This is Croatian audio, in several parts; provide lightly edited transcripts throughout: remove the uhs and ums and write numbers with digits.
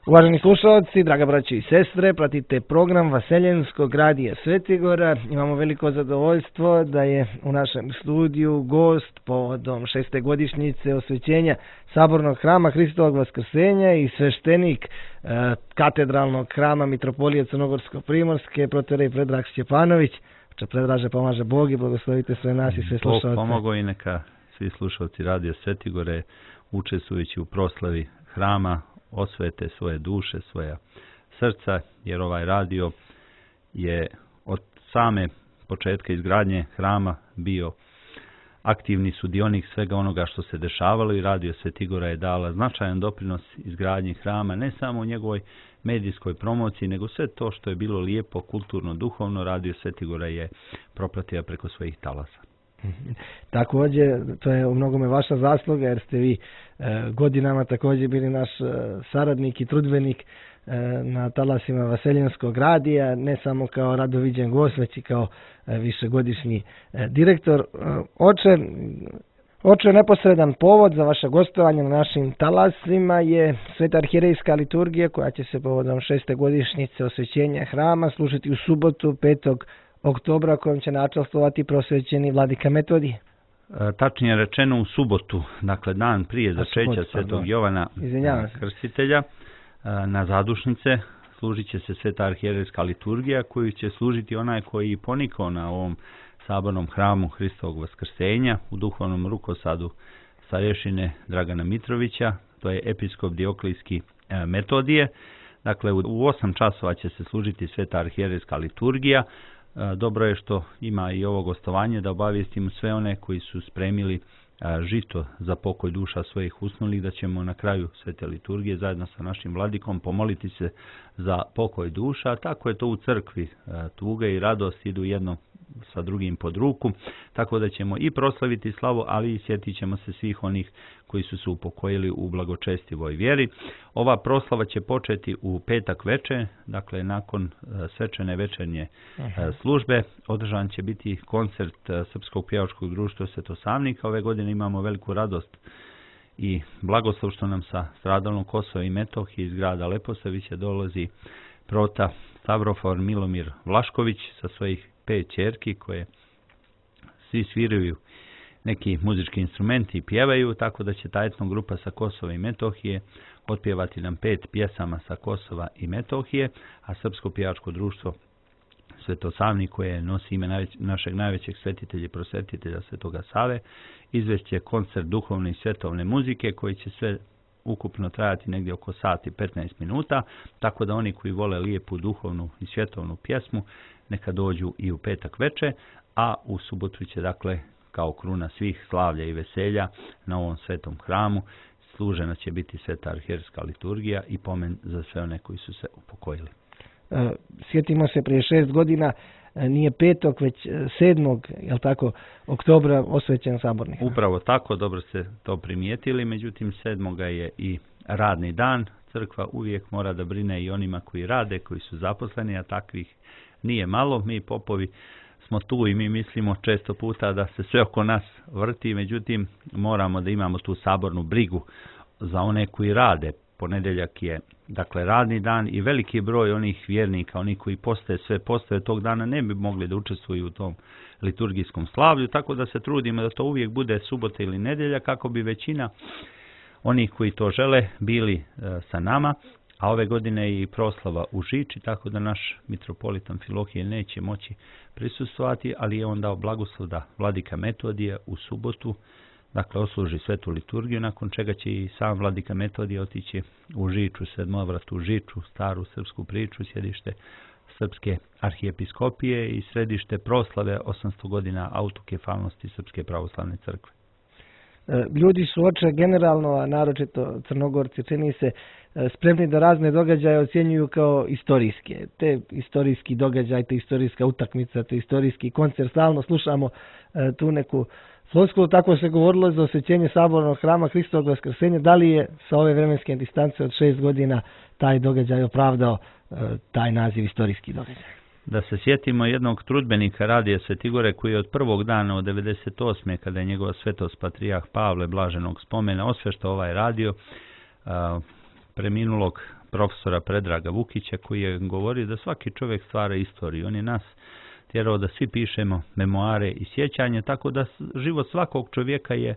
Uvaženi slušalci, draga braći i sestre, pratite program Vaseljenskog radija Svetigora. Imamo veliko zadovoljstvo da je u našem studiju gost povodom 6. godišnjice osvećenja Sabornog hrama Hristovog Vaskrsenja i sveštenik katedralnog hrama Mitropolije Crnogorsko-Primorske, protorej Predrag Stjepanović. Predraže, pomaže Bog i blagoslovite sve nas i sve slušalce. Bog pomogao i neka svi slušalci radija Svetigore, učestvujući u proslavi hrama, osvete svoje duše, svoja srca, jer ovaj radio je od same početka izgradnje hrama bio aktivni sudionik svega onoga što se dešavalo i radio Svetigora je dala značajan doprinos izgradnji hrama, ne samo u njegovoj medijskoj promociji, nego sve to što je bilo lijepo, kulturno, duhovno, radio Svetigora je propratio preko svojih talasa. Također, to je u mnogome vaša zasluga, jer ste vi godinama također bili naš saradnik i trudbenik na talasima Vaseljenskog radija, ne samo kao radoviđen gost, već i kao višegodišnji direktor. Oče, neposredan povod za vaše gostovanje na našim talasima je Sveta arhijerejska liturgija koja će se povodom 6. godišnjice osvećenja hrama služiti u subotu 5. oktobra kojom će načastvovati prosvećeni vladika Metodije. Tačnije rečeno u subotu, dakle dan prije začeća Svetog Jovana Krstitelja, na zadušnice služit će se Sveta arhijerejska liturgija koju će služiti onaj koji ponikao na ovom sabornom hramu Hristovog Vaskrsenja u duhovnom rukosadu starješine Dragana Mitrovića, to je episkop Dioklijski Metodije. Dakle, u 8 časova će se služiti Sveta arhijerejska liturgija. Dobro je što ima i ovo gostovanje da obavijestimo sve one koji su spremili žito za pokoj duša svojih usnulih, da ćemo na kraju svete liturgije zajedno sa našim vladikom pomoliti se za pokoj duša. Tako je to u crkvi, tuga i radost idu jedno sa drugim pod ruku, tako da ćemo i proslaviti slavu, ali i sjetit ćemo se svih onih koji su se upokojili u blagočestivoj vjeri. Ova proslava će početi u petak večer, dakle nakon svečane večernje službe. Održan će biti koncert Srpskog pjevačkog društva Svetosavnika. Ove godine imamo veliku radost i blagoslov što nam sa stradalnog Kosova i Metohije iz grada Leposavića dolazi prota Stavrofor Milomir Vlašković sa svojih 5 ćerki koje svi sviraju neki muzički instrumenti i pjevaju, tako da će ta etno grupa sa Kosova i Metohije otpjevati nam 5 pjesama sa Kosova i Metohije, a Srpsko pjevačko društvo Svetosavnik koje nosi ime našeg najvećeg svetitelja i prosvetitelja Svetoga Save izvešće koncert duhovne i svetovne muzike koji će sve ukupno trajati negdje oko sat i 15 minuta, tako da oni koji vole lijepu duhovnu i svjetovnu pjesmu neka dođu i u petak večer, a u subotu će dakle kao kruna svih slavlja i veselja na ovom svetom hramu služena će biti Sveta arhijerejska liturgija i pomen za sve one koji su se upokojili. Sjetimo se, prije 6 godina nije 5. već 7. jel tako, oktobra osvećen saborni hram. Upravo tako, dobro ste to primijetili, međutim 7. je i radni dan. Crkva uvijek mora da brine i onima koji rade, koji su zaposleni, a takvih nije malo. Mi popovi smo tu i mi mislimo često puta da se sve oko nas vrti, međutim moramo da imamo tu sabornu brigu za one koji rade. Ponedjeljak je dakle radni dan i veliki broj onih vjernika, oni koji postave tog dana ne bi mogli da učestvuju u tom liturgijskom slavlju, tako da se trudimo da to uvijek bude subota ili nedjelja kako bi većina onih koji to žele bili sa nama, a ove godine je i proslava u Žiči, tako da naš mitropolit Amfilohije neće moći prisustvovati, ali je on dao blagoslov da vladika Metodije u subotu dakle osluži svetu liturgiju, nakon čega će i sam vladika Metodije otići u Žiču, sedmovratu Žiču, staru srpsku priču, sjedište Srpske arhijepiskopije i središte proslave 800 godina autokefalnosti Srpske pravoslavne crkve. Ljudi su oče generalno, a naročito Crnogorci, čini se, spremni da razne događaje ocjenjuju kao istorijske. Te istorijski događaj, te istorijska utakmica, te istorijski koncert, stalno slušamo tu neku floskulu, tako se govorilo za osvećenje sabornog hrama Hristovog Vaskrsenja. Da li je sa ove vremenske distance od 6 godina taj događaj opravdao taj naziv istorijski događaj? Da se sjetimo jednog trudbenika radija Svetigore koji je od prvog dana od 98. kada je njegova svetost patrijarh Pavle blaženog spomena osveštao ovaj radio, preminulog profesora Predraga Vukića, koji je govorio da svaki čovjek stvara istoriju. On je nas tjerao da svi pišemo memoare i sjećanje, tako da život svakog čovjeka je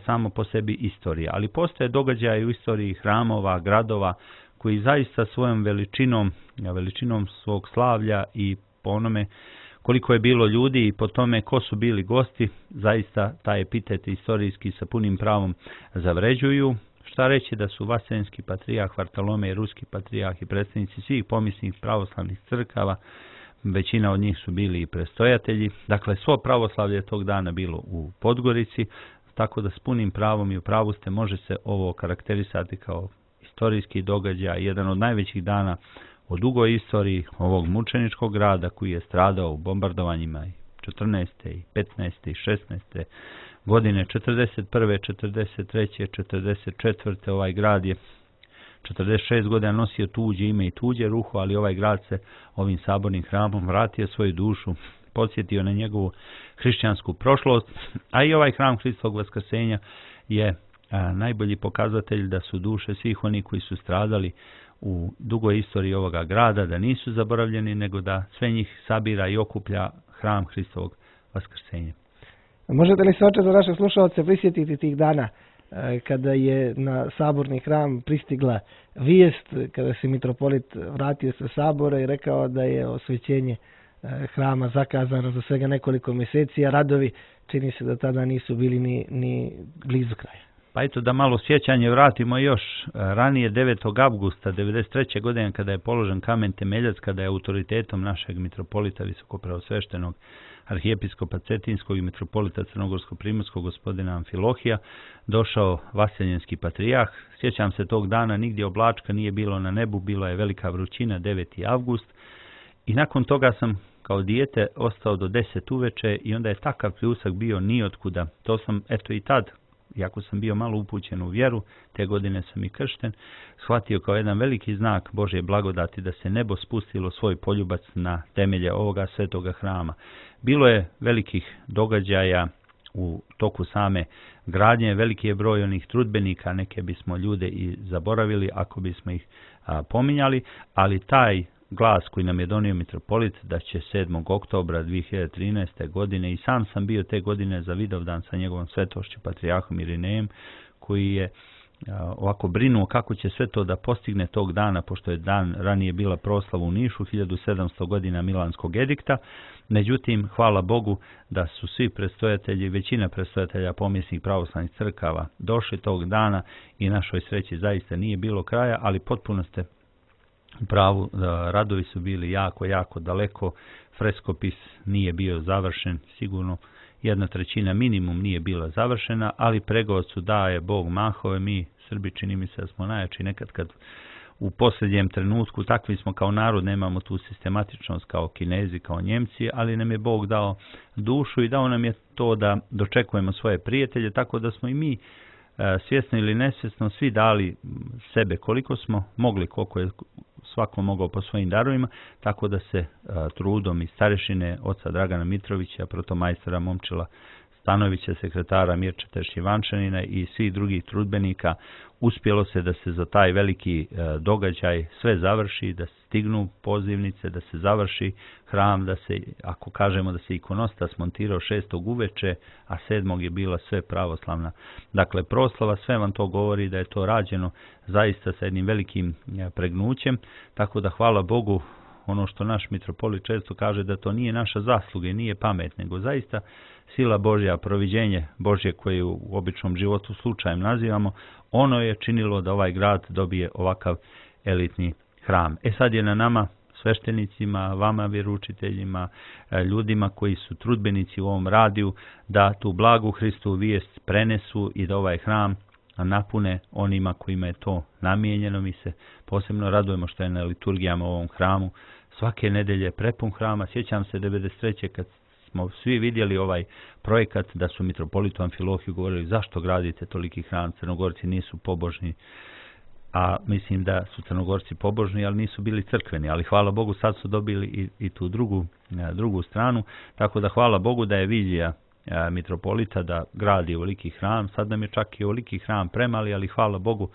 samo po sebi istorija. Ali postoje događaje u istoriji hramova, gradova, koji zaista svojom veličinom svog slavlja i po onome koliko je bilo ljudi i po tome ko su bili gosti, zaista taj epitet istorijski sa punim pravom zavređuju. Šta reći da su Vaseljenski patrijarh Vartolomej, ruski patrijarh i predstavnici svih pomisnih pravoslavnih crkava, većina od njih su bili i prestojatelji. Dakle, svo pravoslavlje je tog dana bilo u Podgorici, tako da s punim pravom i u pravu ste može se ovo karakterisati kao istorijski događaj, jedan od najvećih dana u dugoj istoriji ovog mučeničkog grada koji je stradao u bombardovanjima 14. i 15. i 16. godine, 41. 43. 44. Ovaj grad je 46 godina nosio tuđe ime i tuđe ruho, ali ovaj grad se ovim sabornim hramom vratio svoju dušu, podsjetio na njegovu hrišćansku prošlost, a i ovaj hram Hristovog vaskrsenja je najbolji pokazatelj da su duše svih oni koji su stradali u dugoj istoriji ovoga grada, da nisu zaboravljeni, nego da sve njih sabira i okuplja hram Hristovog vaskrsenja. Možete li se, oče, za naše slušalce prisjetiti tih dana kada je na saborni hram pristigla vijest, kada se mitropolit vratio sa sabora i rekao da je osvećenje hrama zakazano za svega nekoliko mjeseci, a radovi čini se da tada nisu bili ni blizu kraja? Pa eto da malo sjećanje vratimo još ranije, 9. avgusta 1993. godine kada je položen kamen temeljac, kada je autoritetom našeg mitropolita visokopreosveštenog arhijepiskopa Cetinskog i mitropolita Crnogorsko-primorskog gospodina Amfilohija došao Vaseljenski patrijarh. Sjećam se tog dana, nigdje oblačka nije bilo na nebu, bila je velika vrućina, 9. avgust i nakon toga sam kao dijete ostao do 10 uveče i onda je takav pljusak bio nijotkuda. To sam eto i tad, iako sam bio malo upućen u vjeru, te godine sam i kršten, shvatio kao jedan veliki znak Božje blagodati da se nebo spustilo svoj poljubac na temelje ovoga svetoga hrama. Bilo je velikih događaja u toku same gradnje, veliki je broj onih trudbenika, neke bismo ljude i zaboravili ako bismo ih pominjali, ali taj glas koji nam je donio mitropolit da će 7. oktobra 2013. godine, i sam sam bio te godine za Vidovdan sa njegovom svetošću patrijarhom Irinejem, koji je ovako brinuo kako će sve to da postigne tog dana, pošto je dan ranije bila proslava u Nišu, 1700 godina Milanskog edikta. Međutim, hvala Bogu da su svi predstojatelji, većina predstojatelja pomisnih pravoslavnih crkava došli tog dana i našoj sreći zaista nije bilo kraja, ali potpuno ste u pravu, radovi su bili jako daleko, freskopis nije bio završen, sigurno 1/3 minimum nije bila završena, ali pregovor daje Bog mahove, mi Srbi čini mi se da smo najjači nekad kad u posljednjem trenutku, takvi smo kao narod, nemamo tu sistematičnost kao Kinezi, kao Njemci, ali nam je Bog dao dušu i dao nam je to da dočekujemo svoje prijatelje, tako da smo i mi svjesno ili nesvjesno svi dali sebe koliko smo mogli, koliko je svako mogao po svojim darovima, tako da se trudom i starešine oca Dragana Mitrovića, protomajstora Momčila Stanovića, sekretara Mirčeta Šivančanina i svih drugih trudbenika uspjelo se da se za taj veliki događaj sve završi, da stignu pozivnice, da se završi hram, da se, ako kažemo da se ikonostas montirao 6. uveče, a 7. je bila sve pravoslavna. Dakle, proslava, sve vam to govori da je to rađeno zaista sa jednim velikim pregnućem, tako da hvala Bogu, ono što naš mitropolit često kaže da to nije naša zasluga i nije pamet, nego zaista sila Božja, proviđenje Božje koje u običnom životu slučajem nazivamo, ono je činilo da ovaj grad dobije ovakav elitni hram. Sad je na nama, sveštenicima, vama vjeroučiteljima, ljudima koji su trudbenici u ovom radiju, da tu blagu Hristovu vijest prenesu i da ovaj hram napune onima kojima je to namijenjeno. Mi se posebno radujemo što je na liturgijama u ovom hramu svake nedelje prepun hrama. Sjećam se 1993. kad smo svi vidjeli ovaj projekat da su mitropolitu Amfilohiju govorili zašto gradite toliki hram, Crnogorci nisu pobožni, a mislim da su Crnogorci pobožni, ali nisu bili crkveni, ali hvala Bogu sad su dobili i tu drugu stranu, tako da hvala Bogu da je vizija mitropolita da gradi ovoliki hram, sad nam je čak i ovoliki hram premali, ali hvala Bogu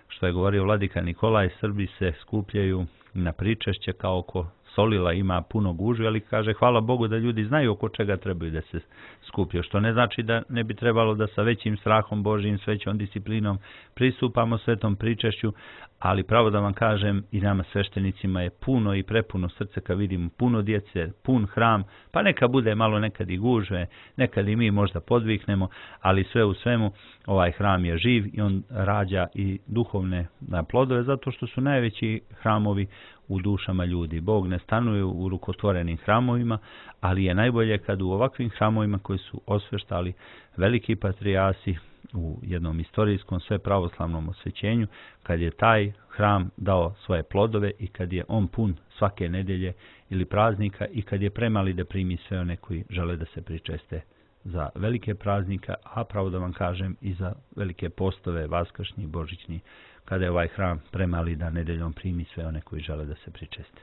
što je govorio vladika Nikolaj, Srbi se skupljaju na pričešće kao oko solila, ima puno gužve, ali kaže hvala Bogu da ljudi znaju oko čega trebaju da se skupljaju, što ne znači da ne bi trebalo da sa većim strahom Božjim, s većom disciplinom pristupamo svetom pričešću, ali pravo da vam kažem i nama sveštenicima je puno i prepuno srce kad vidimo puno djece, pun hram, pa neka bude malo nekad i gužve, nekad i mi možda podviknemo, ali sve u svemu ovaj hram je živ i on rađa i duhovne plodove, zato što su najveći hramovi u dušama ljudi. Bog ne stanuje u rukotvorenim hramovima, ali je najbolje kad u ovakvim hramovima koji su osveštali veliki patrijasi u jednom istorijskom sve pravoslavnom osvećenju, kad je taj hram dao svoje plodove i kad je on pun svake nedelje ili praznika i kad je premali da primi sve one koji žele da se pričeste za velike praznika, a pravo da vam kažem i za velike postove, vaskršnji, božićni, kada je ovaj hram premali da nedeljom primi sve one koji žele da se pričeste.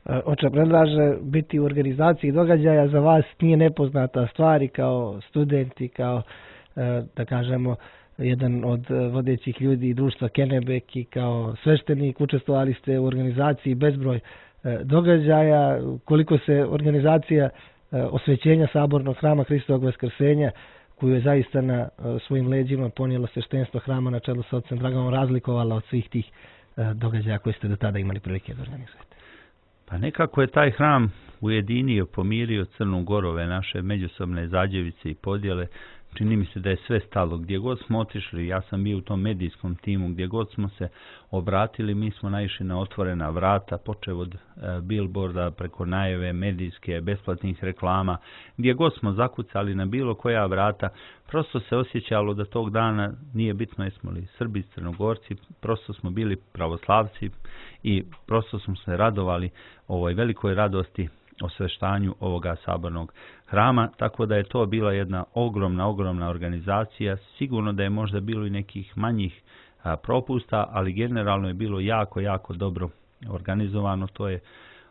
Oče predlaže biti u organizaciji događaja za vas nije nepoznata stvar i kao studenti, kao da kažemo jedan od vodećih ljudi društva Kennebec i kao sveštenik učestvovali ste u organizaciji bezbroj događaja. Koliko se organizacija osvećenja sabornog hrama Hristovog vaskrsenja, koju je zaista na svojim leđima ponijelo sveštenstvo hrama na čelu sa ocem Draganom, razlikovala od svih tih događaja koje ste do tada imali prilike da organizujete? Pa nekako je taj hram ujedinio, pomirio Crnu Goru, ove naše međusobne zađevice i podjele. Čini mi se da je sve stalo. Gdje god smo otišli, ja sam bio u tom medijskom timu, gdje god smo se obratili, mi smo naišli na otvorena vrata, počev od billboarda, preko najave medijske, besplatnih reklama. Gdje god smo zakucali na bilo koja vrata, prosto se osjećalo da tog dana nije bitno jesmo li Srbi, Crnogorci, prosto smo bili pravoslavci i prosto smo se radovali ovoj velikoj radosti osveštanju ovoga sabornog hrama, tako da je to bila jedna ogromna organizacija. Sigurno da je možda bilo i nekih manjih propusta, ali generalno je bilo jako dobro organizovano. To je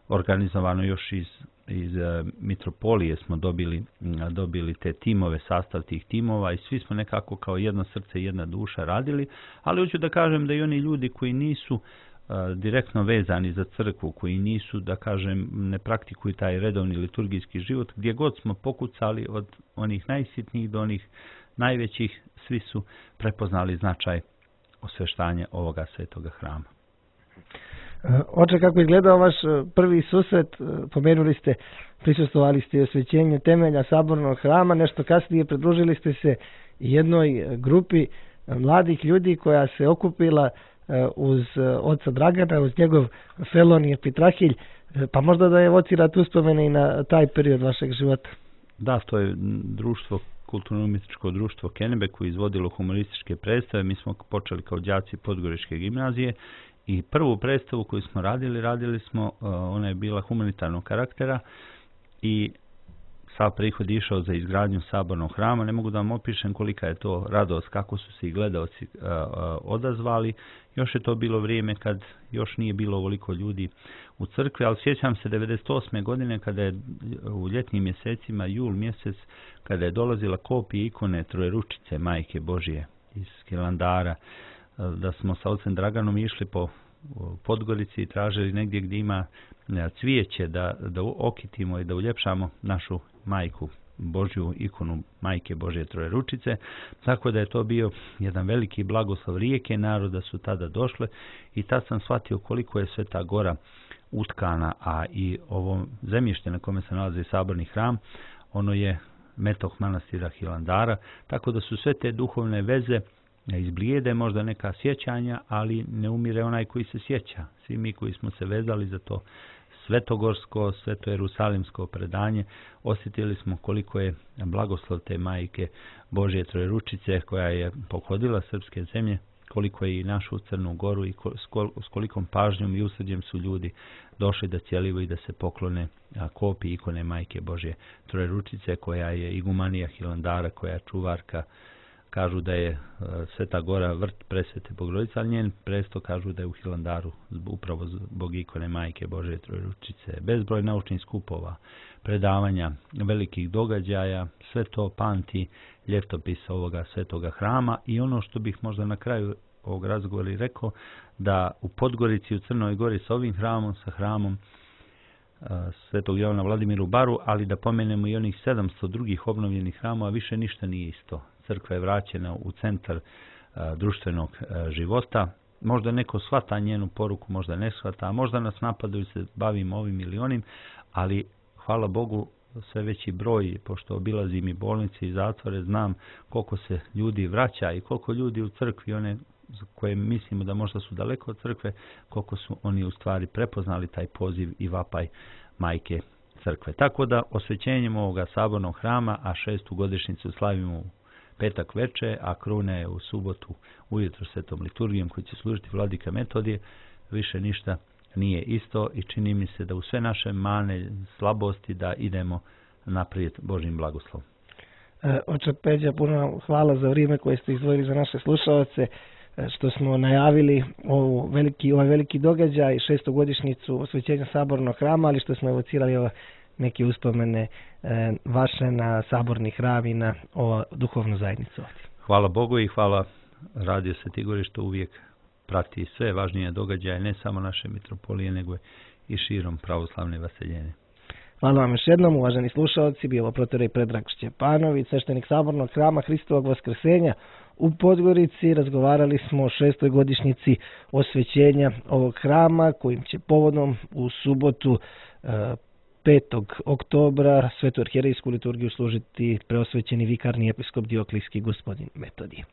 organizovano još iz mitropolije smo dobili te timove, sastav tih timova i svi smo nekako kao jedno srce i jedna duša radili, ali hoću da kažem da i oni ljudi koji nisu direktno vezani za crkvu, koji nisu, da kažem, ne praktikuju taj redovni liturgijski život, gdje god smo pokucali od onih najsitnijih do onih najvećih, svi su prepoznali značaj osveštanja ovoga svetoga hrama. Oče, kako je izgledao vaš prvi susret? Pomenuli ste, prisustvovali ste osvećenju temelja sabornog hrama, nešto kasnije pridružili ste se jednoj grupi mladih ljudi koja se okupila uz oca Dragana, uz njegov Felonije Pitrahilj, pa možda da je evocirat uspomene i na taj period vašeg života. Da, to je društvo, kulturno-umjetničko društvo Kennebec koje izvodilo humorističke predstave. Mi smo počeli kao đaci Podgoričke gimnazije i prvu predstavu koju smo radili smo, ona je bila humanitarnog karaktera i sav prihod išao za izgradnju sabornog hrama. Ne mogu da vam opišem kolika je to radost, kako su se i gledaoci odazvali. Još je to bilo vrijeme kad još nije bilo ovoliko ljudi u crkvi, ali sjećam se 98. godine kada je u ljetnim mjesecima, jul mjesec, kada je dolazila kopija ikone Trojeručice Majke Božje iz Hilandara, da smo sa ocem Draganom išli po Podgorici i tražili negdje gdje ima cvijeće da okitimo i da uljepšamo našu Majku Božju, ikonu Majke Božje Trojeručice, tako da je to bio jedan veliki blagoslov. Rijeke naroda su tada došle i tad sam shvatio koliko je Sveta Gora utkana, a i ovo zemljište na kome se nalazi saborni hram, ono je metok manastira Hilandara, tako da su sve te duhovne veze izblijede, možda neka sjećanja, ali ne umire onaj koji se sjeća. Svi mi koji smo se vezali za to svetogorsko, svetojerusalimsko predanje, osjetili smo koliko je blagoslov te Majke Božje Trojeručice koja je pohodila srpske zemlje, koliko je i našu Crnu Goru i s kolikom pažnjom i usrđem su ljudi došli da cijelivo i da se poklone kopiji ikone Majke Božje Trojeručice koja je igumanija Hilandara, koja je čuvarka. Kažu da je Sveta Gora vrt presvete Bogorodice, ali njen presto kažu da je u Hilandaru upravo zbog ikone Majke Božje Trojeručice. Bezbroj naučnih skupova, predavanja, velikih događaja, sve to pamti ljetopis ovoga svetoga hrama i ono što bih možda na kraju ovog razgovora i rekao da u Podgorici, u Crnoj Gori sa ovim hramom, sa hramom Svetog Jovana Vladimiru Baru, ali da pomenemo i onih 700 drugih obnovljenih hramova, više ništa nije isto. Crkva je vraćena u centar društvenog života. Možda neko shvata njenu poruku, možda ne shvata, a možda nas napadaju se bavimo ovim ili onim, ali hvala Bogu sve veći broj, pošto obilazim i bolnice i zatvore, znam koliko se ljudi vraća i koliko ljudi u crkvi, one koje mislimo da možda su daleko od crkve, koliko su oni u stvari prepoznali taj poziv i vapaj majke crkve. Tako da osvećenjem ovoga sabornog hrama, a 6. godišnjicu slavimo u petak veče, a kruna je u subotu ujutro svetom liturgijom koji će služiti vladika Metodije, više ništa nije isto i čini mi se da u sve naše mane, slabosti da idemo naprijed Božjim blagoslovom. Oče Peđa, puno hvala za vrijeme koje ste izdvojili za naše slušalce, što smo najavili ovaj veliki događaj, 6. godišnjicu osvećenja sabornog hrama, ali što smo evocirali neke uspomene vaše na saborni hram i na duhovnu zajednicu ovdje. Hvala Bogu i hvala Radio Sveti Gori što uvijek prati sve važnije događaje, ne samo naše mitropolije, nego i širom pravoslavne vaseljene. Hvala vam još jednom, uvaženi slušalci, bio protorej Predrag Šćepanović, sveštenik sabornog hrama Hristovog Vaskrsenja u Podgorici. Razgovarali smo o 6. godišnjici osvećenja ovog hrama, kojim će povodom u subotu 5. oktobra svetu arhijerejsku liturgiju služiti preosvećeni vikarni episkop Dioklijski gospodin Metodije.